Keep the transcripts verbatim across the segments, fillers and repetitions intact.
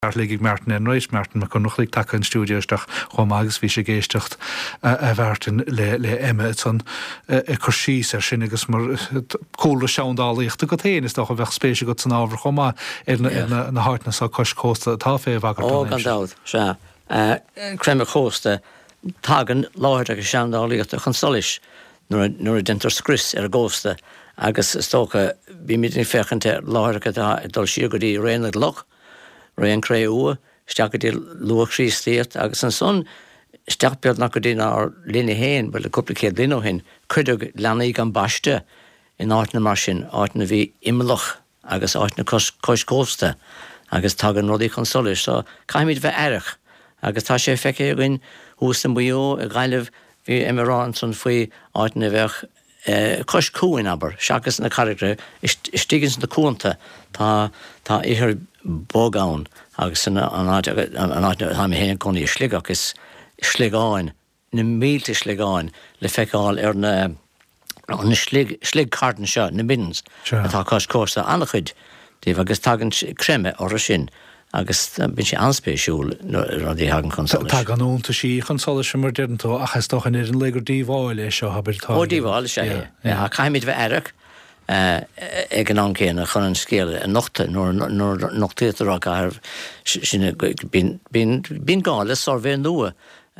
Lig ag Martin Enright, Martin Mac Conrachlaigh tagtha an stiúideo isteach chomh maith agus bhí sé ag éisteacht a Mhartin le le Emma ansan ag cur síos air sin agus mar cúlra seandálaíochta agat féin is dócha bheadh spéis agat san ábhar chomh maith ar na na háiteanna seo cois cósta atá fé bhagairt. Ó gan dabht, sea. Creimeadh cósta, tagann láithreacha seandálaíochta chun solais nuair nuair a déantar scrios ar an gcósta agus is dócha bímid ag féachaint ar láithreacha atá ag dul siar go dtí ré na gcloch, ré an Chré-umha, isteach go dtí luath-Chríostaíocht agus ansan isteach beagnach go dtí ár linne féin, bhuel, cúpla céad bliain ó shin, cuireadh leanaí gan baisteadh in áiteanna mar sin, áiteanna a bhí imeallach agus áiteanna cois, cois cósta agus tagann rudaí chun solais. So caithfimid bheith aireach agus tá sé feicthe againn thuas i Maigh Eo, i Gaillimh, bhí Emma ag rá ansan faoi áiteanna a bheadh cois cuain, abair, seachas na carraigreacha, istigh ins na cuanta tá tá ithir bog ann agus san an áit an áit atá mé féin i gcónaí i Sligeach is sliogáin, na mílte sliogáin le feiceáil ar na na slig sliogchairn seo, na middens, atá cois cósta, an-chuid díobh agus tagann creimeadh orthu sin agus bíonn sé an-spéisiúil nuair rudaí a thagann chun solais. Tagann iontaisí chun solais mar deireann tú ach is dócha in ar an lae gur díobháil é seo, abair, tá. Ó díobháil is ea é. Caithfimid bheith aireach ag an am céanna chun an scéal a nochtadh nuair nuair nochtaítear á gcaitheamh sin bíonn bíonn bíonn gá le suirbhé nua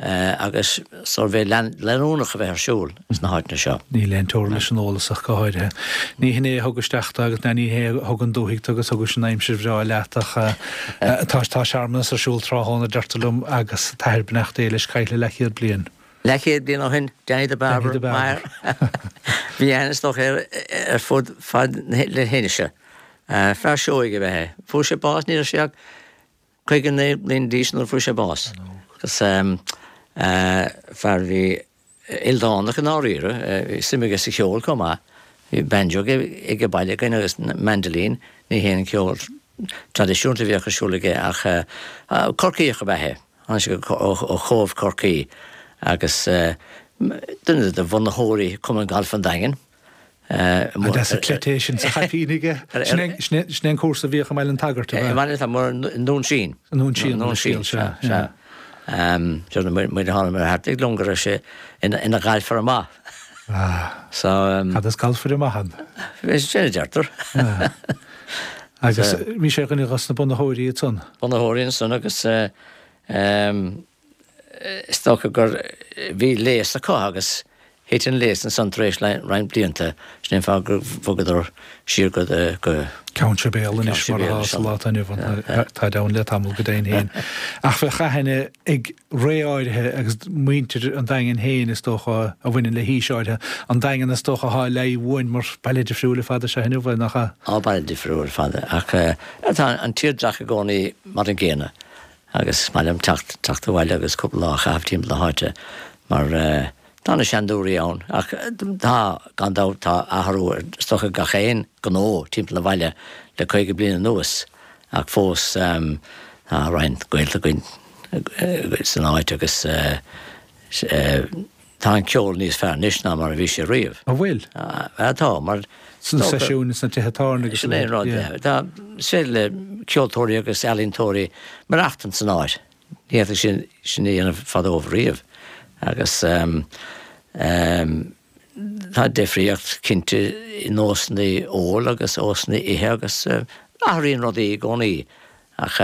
agus suirbhé leanúnach a bheith ar siúl sna háiteanna seo. Níl aon teora leis an eolas ach go háirithe. Ní hin é a thug isteach tú agus ní hé a thug an dúthaigh tú agus thug an aimsir bhreá leat ach tá tá searmanas ar siúl tráthnóna deirtear liom agus t'athair beannacht Dé leis caillte leathchéad bliain. Leathchéad bliain ó shin, Danny the Barber, Barber. Bhí aithne is dócha air ar fud fad na hInse. Fear seoigh ab ea é. Fuair sé bás ní raibh sé ach caoga naoi mbliana d'aois nuair a fuair sé bás. Agus fear a bhí ildánach i ndáiríre, bhí suim aige sa cheol chomh maith. Bhí banjo aige baile againn agus mandolin, ní haon cheol traidisiúnta a bhíodh ar siúl aige ach Corcaíoch ab ea é. Tháinig sé ó Chóbh Chorcaí agus duine de bhunaitheoirí Chumann Gailf an Daingin. An deas an cleite é sin sa chaipín aige? Sin é an cúrsa a bhíodh i mBaile an tSagairt, ab ea? I mBaile an tSagairt, i nDún Síon. I nDún Síon, Dún Síon, sea, sea. Muid a tháinig thart ag liom go raibh sé ina ghalfaire maith. So. Cad is galfaire maith ann? Sin a deirtear. Agus bhí sé ar dhuine dos na bunaitheoirí ansan? Bunaitheoirí ansan agus is dócha gur bhí léas acu agus thit an léas ansan tar éis roinnt blianta, sin é an fáth gur bhogadar siar go go. Ceann Sibéal anois mar atá sa lá atá inniu ann, táid ann le tamall go deimhin féin. Ach bheadh aithne ag ré áirithe agus muintir an Daingin féin is dócha a bhaineann le haois áirithe, an Daingean is dócha atá le aghaidh uainn mar baile difriúil ar fad is ea inniu é, nach ea? Á baile difriúil ar fad ach tá an tírdreach i gcónaí mar an gcéanna. Agus is maith liom teacht, teacht abhaile agus cúpla lá a chaitheamh timpeall na háite mar tá na seandúirí ann ach tá, gan dabht, tá athrú ar, is dócha, gach aon ghnó timpeall an bhaile le caoga bliain anuas ach fós tá roinnt gaolta againn san áit agus tá an ceol níos fearr anois ná mar a bhí sé riamh. An bhfuil? Tá, mar. Sna seisiúin sna tithe tábhairne agus. Sin é an rud, yeah. Tá, is féidir le ceoltóirí agus ealaíontóirí maireachtaint san áit. Ní fhéadfadh sin sin a dhéanamh fadó riamh. Agus tá difríocht cinnte i nósanna óil agus nósanna ithe agus athraíonn rudaí i gcónaí. Ach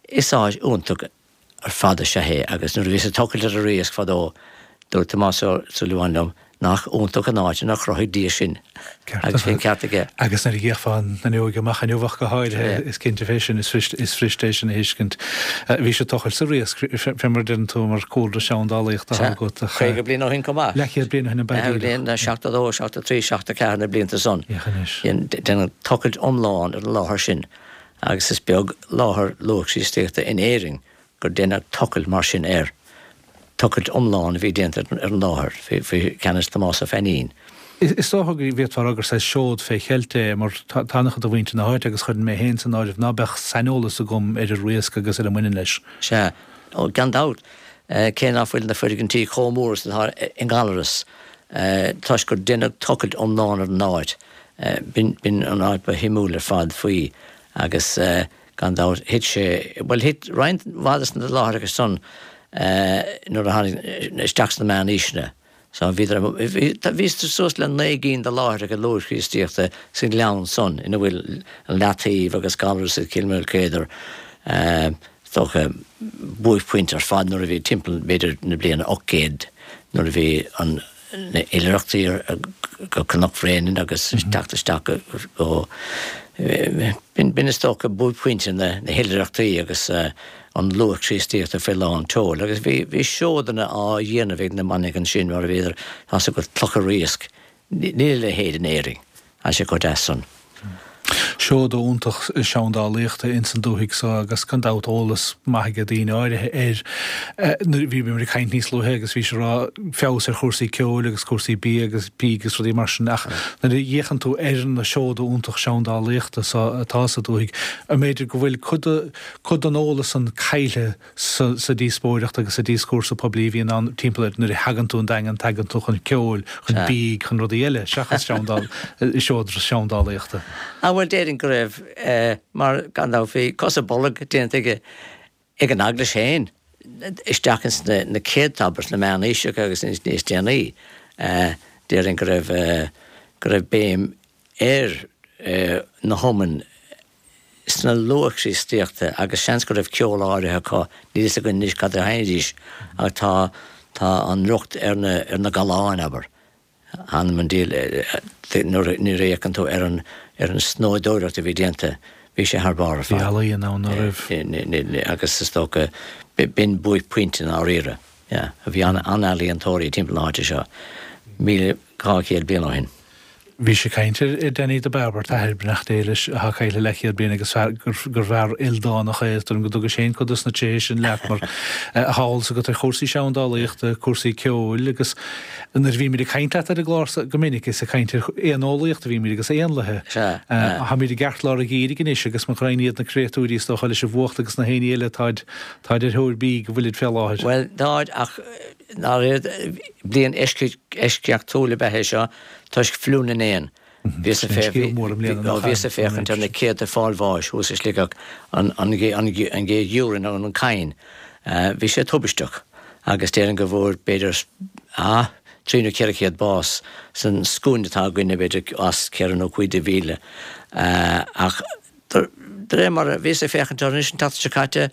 is áit iontach ar fad is ea é agus nuair a bhíos ag tochailt ar an Riasc fadó dúirt Tomás Ó Súilleabháin liom nach iontach an áit inar chruthaigh Dia sinn agus bhí an ceart aige. Agus nuair a d'fhéachfá an fhuinneoig amach inniu ach go háirithe, is cinnte fé sin, is fuirist é sin a thuiscint. Bhís ag tochailt sa Riasc, fé mar a deireann tú, mar cúlra seandálaíochta atá agat ach. Caoga bliain ó shin chomh maith. Leathchéad bliain ó shin ab ea díreach. Bliain, seachtó dó, seachtó trí, seachtó ceathair, na blianta san. Féach anois. Deineadh tochailt iomlán ar an láthair sin agus is beag láthair luath-Chríostaíochta in Éirinn gur deineadh tochailt mar sin air. Tochailt iomlán a bhí déanta ar an láthair faoi cheannas Tomás Ó Fainín. Is dócha go bhféadfá a rá gur saghas seod fé cheilt é mar tá an-chuid de mhuintir na háite, agus chuirfinn mé féin san áireamh, ná beadh saineolas agam ar an Riasc agus ar a mbaineann leis. Sea, gan dabht, cé ná fuil na foirgintí chomh mór is atá i nGallaras, toisc gur deineadh tochailt iomlán ar an áit, b'in an áit ba shuimiúil ar fad faoi agus Gan dabht, thit sé, bhuel thit roinnt mhaith de na láithreacha san nuair a tháinig isteach sna meánaoiseanna. So bhíodar, bhí suas le naoi gcinn de láithreacha luath-Chríostaíochta sa ghleann san ina bhfuil an Leataobh agus Gallarus agus Kilmalkedar, is dócha, buaicphointe ar fad nuair a bhí timpeall b'fhéidir na bliana ocht gcéad nuair a bhí an na hoilithreachtaí go Cnoc Bhréanainn agus teacht isteach go B'in is dócha buaicphointe na hoilithreachtaí agus an luath-Chríostaíochta faoi lán tseoil agus bhí bhí seodanna á dhéanamh ag na manaigh ansin mar a bhíodar tá's agat clocha riasc. Níl a leithéid in Éirinn. Tá sé chomh deas san. Seoda iontach seandálaíochta ins an dúthaigh so agus gan dabht eolas maith aige daoine áirithe air. Nuair a bhíomar ag caint níos luaithe agus bhís ag rá feabhas ar chúrsaí ceoil agus cúrsaí bia agus bídh agus rudaí mar sin ach nuair a fhéachann tú ar na seoda iontach seandálaíochta so atá sa dúthaigh, an mb'fhéidir go bhfuil cuid de cuid den eolas san caillte sa sa díospóireacht agus sa díoscúrsa poiblí a bhíonn ann timpeall air nuair a thagann tú 'on Daingean tagann tú chun ceoil, chun bídh, chun rudaí eile seachas seandáil seoda seandálaíochta. Ah bhuel déarfainn go raibh, mar gan dabht bhí cos i bolg déanta aige ag an Eaglais féin isteach ins na céadta, abair, sna meánaoiseacha agus níos déanaí. Déarfainn go raibh, go raibh béim ar na hiomainn sna luath-Chríostaíochta agus seans go raibh ceol áirithe acu, níl fhios againn anois cad a sheinnidís ach tá, tá an riocht ar na, ar na galláin, abair. Th'anam 'on diabhal nuair a fhéachann tú ar an ar an snoíodóireacht a bhí déanta, bhí sé thar barr ar fad. Bhí ealaíon ann, ná raibh? Agus is dócha, b'in buaicphointe i ndáiríre. Yeah. Bhí an-ealaíontóirí timpeall na háite seo míle dhá chéad bliain ó shin. Bhís ag caint ar Danny the Barber, t'athair, beannacht Dé leis, atá caillte leathchéad bliain agus fear gur bhfear ildánach é, is dóigh liom go dtugais féin cuid dos na tréithe sin leat mar tá eolas agat ar chúrsaí seandálaíochta, cúrsaí ceoil agus nuair a bhímid ag caint leat ar an gclár so go minic is ag caint ar éaneolaíocht a bhímid agus éanlaithe. Táimid i gceartlár an gheimhridh anois agus mo ghraidhin iad na créatúirí is dócha leis an bhfuacht agus na héinní eile táid táid ar thóir bídh go bhfuilid fé láthair. Bhuel, táid ach ndáiríre bliain eisceachtúil ab ea é seo toisc fliú na n-éan. Bhíos ag féachaint ar na céadta ag fáil bháis thuas i Sligeach an ghéag gheimhridh nó an cadhain. Bhí sé tubaisteach agus déarfainn go bhfuair b'fhéidir trí nó ceithre chéad bás san scuaine atá againne b'fhéidir os ceithre nó cúig de mhíle. Ach de réir mar a bhíos ag féachaint orthu anois an tseachtain seo caite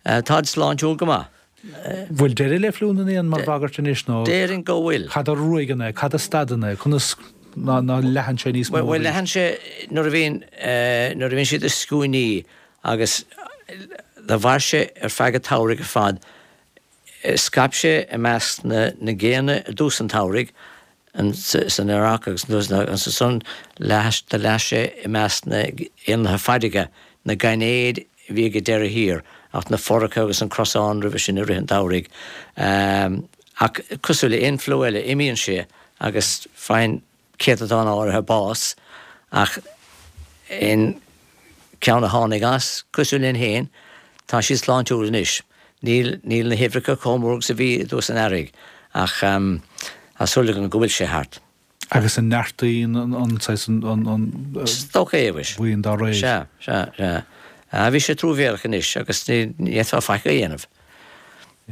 táid sláintiúil go maith. Bhfuil deireadh le fliú na n-éan mar bhagairt anois nó. Déarfainn go bhfuil. Cad a ruaigeann é? Cad a stadann é? Conas ná leathann sé níos mó arís? Bhuel, leathann sé nuair a bhíonn, nuair a bhíonn siad i scuainí agus do mhair sé ar feadh an tsamhraidh ar fad. Scaip sé i measc na na géanna i dtús an tsamhraidh san earrach agus ansan do leath sé i measc na n-éanlaithe farraige, na gainéid a bhí ag an deireadh thiar, ach na foracha agus an crosán roimhe sin i rith an tsamhraidh. Ach cosúil le aon fliú eile, imíonn sé agus faigheann céatadán áirithe bás, ach aon cheann a tháinig as, cosúil linn féin, tá siad sláintiúil anois. Níl, níl na huimhreacha chomh mór agus a bhí i dtús an earraigh, ach tá súil agam go bhfuil sé thart. Agus an neartaíonn an saghas an Is dócha é, mhuis. bhuíon dá réir. Sea, sea, sea. Bhí sé truamhéalach anois agus ní fhéadfá faic a dhéanamh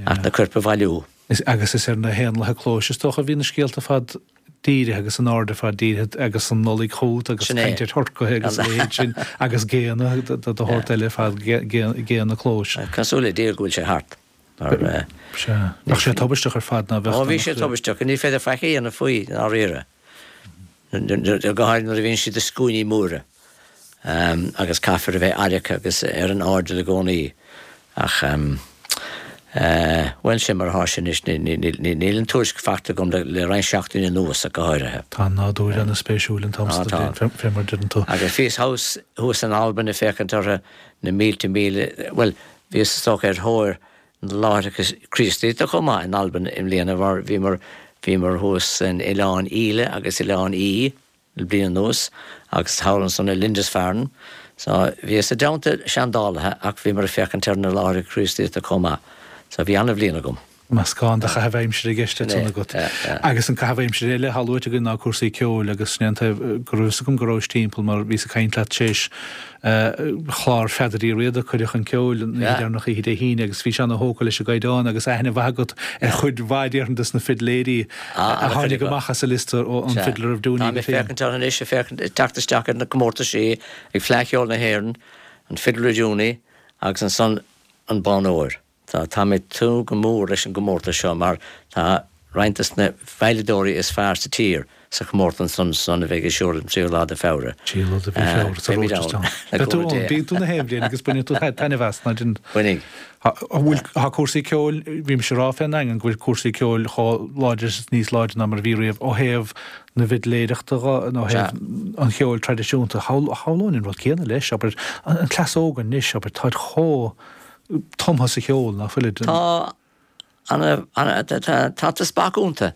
ach na coirp a bhailiú. Agus is ar na héanlaithe clóis is dócha a bhí na scéalta ar fad dírithe agus an aird ar fad dírithe agus an Nollaig chugat agus caint ar thurcaithe agus a leithéid sin agus géanna de shórt eile ar fad, géanna clóis. Cosúil le Dia go bhfuil sé thart. Mar. Sea. Bheadh sé tubaisteach ar fad ná bheadh. Ó bhí sé tubaisteach. Ní féidir faic a dhéanamh faoi i ndáiríre. Go háirithe nuair a bhíonn siad i scuainí móra agus caithfear a bheith aireach agus ar an airdeall i gcónaí. Ach, bhuel, sin mar atá sé anois. Níl an tuairisc faighte agam le roinnt seachtainí anuas ach go háirithe. Tá an nádúr ana-spéisiúil an t-am san den bhliain, fé mar a deireann tú. Agus bhíos thuas in Albain ag féachaint orthu na mílte míle, bhuel, bhíos is dócha ar thóir na láithreacha Críostaíochta chomh maith in Albain i mbliana mar bhíomar bhíomar thuas in Oileán Íle agus Oileán Í le bliain anuas agus thall ansan i Lindisfarne. So bhíos i dteannta seandálaithe ach bhíomar ag féachaint ar na láithreacha Críostaíochta chomh maith. So bhí an-bhliain agam. Meascán de chaitheamh aimsire i gceist Sin é, ansan agat. yeah, yeah. Agus an caitheamh aimsire eile atá luaite againn ná cúrsaí ceoil agus sin é an taobh go raibh fhios agam go rabhais timpeall mar bhíos ag caint leat tar éis chlár Pheadair Uí Riada, Cuireadh Chun Ceoil, an oíche Yeah. deireanach oíche Dé hAoine agus bhí sé ana-thógtha leis an gcaighdeán agus aithne mhaith agat ar chuid mhaith déarfainn des na fidléirí Ah, a tháinig ana-chuid acu. amach as an liosta ó an Sea. Fiddler of Dooney Tá mé go féin. féachaint ann anois, ag féachaint, ag teacht isteach ar na comórtaisí ag Fleadh Cheoil na hÉireann, an Fiddler of Dooney agus ansan an Bonn Óir. Tá tá mé ag tnúth go mór leis an gcomórtas seo mar tá roinnt des na veidhleadóirí is fearr sa tír sa chomórtas san san a bheidh ar siúl an tríú lá de Feabhra. Tríú lá de mhí Feabhra sa Rochestown. Beidh tú ann, bíonn tú na haon bhliain agus baineann tú taitneamh as ná den. Bainfidh. Bhfuil tá cúrsaí ceoil, bhí mise ag rá fén nDaingean go bhfuil cúrsaí ceoil chomh láidir is níos láidre ná mar a bhí riamh ó thaobh na bhfidléireachta nó ó thaobh an cheoil traidisiúnta. Shamhlóinn an rud céanna leis, abair an cleas óg anois, abair táid chomh tumtha sa cheol ná fuilid. Tá ana ana tá tá spark iontu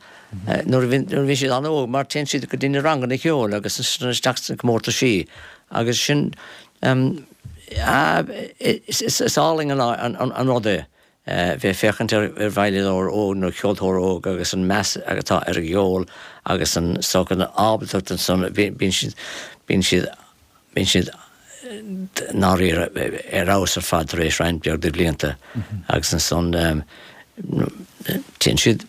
nuair a bhí siad an-óg mar téann siad go dtí na ranganna ceoil agus isteach sna comórtaisí agus sin is álainn an rud é bheith féachaint ar ar veidhleadóir óg nó ceoltóir óg agus an meas atá ar a gceol agus an so an ábaltacht ansan bíonn siad bíonn siad bíonn siad ndáiríre ar fheabhas ar fad tar éis roinnt beag de bhlianta agus ansan téann siad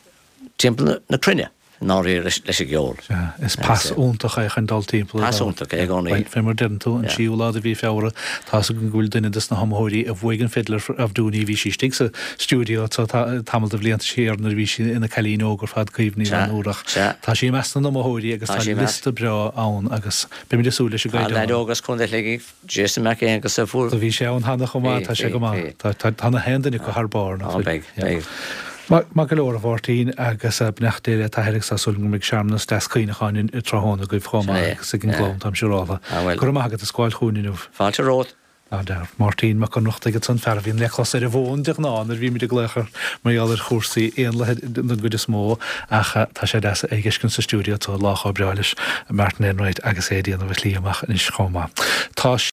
timpeall na cruinne ndáiríre leis an gceol. Is pas iontach é chun dul timpeall. Pas iontach é i gcónaí. Fé mar deireann tú an séú lá de mhí Feabhra tá a fhios agam go bhfuil duine des na hiomaitheoirí a bhuaigh an Fiddler of Dooney bhí sí istigh sa stiúideo tamall de bhlianta siar nuair a bhí sí ina cailín óg ar fad Caoimhe Ní Fhlanúrach. Tá sí i measc na n-iomaitheoirí agus tá liosta breá ann agus beimid ag súil leis an gcaighdeán. Tá leaid óg as Contae Shligigh, Jason Mac Aonghus a fuair. Do bhí sé ann cheana chomh maith, tá sé go maith. Tá na haon duine acu thar barr nach bhfuil? Beidh, beidh. Maith go leor a Mháirtín agus beannacht Dé le t'athair agus tá súil agam go mbeidh searmanas deas cuimhneacháin tráthnóna agaibh chomh maith agus ag an gclann táim siúráltha. Go raibh maith agat as gabháil chugainn inniu. Fáilte romhat. Máirtín Mac Ionnrachtaigh ansan fear a bhíonn le clos ar an bhfón de ghnáth nuair a bhímid ag glaoch air mar gheall ar chúrsaí éanlaithe den gcuid is mó ach tá sé deas é a fheiscint sa stiúideo tá lá chomh breá leis Martin Enright agus é ag déanamh a shlí amach anois chomh maith. Tá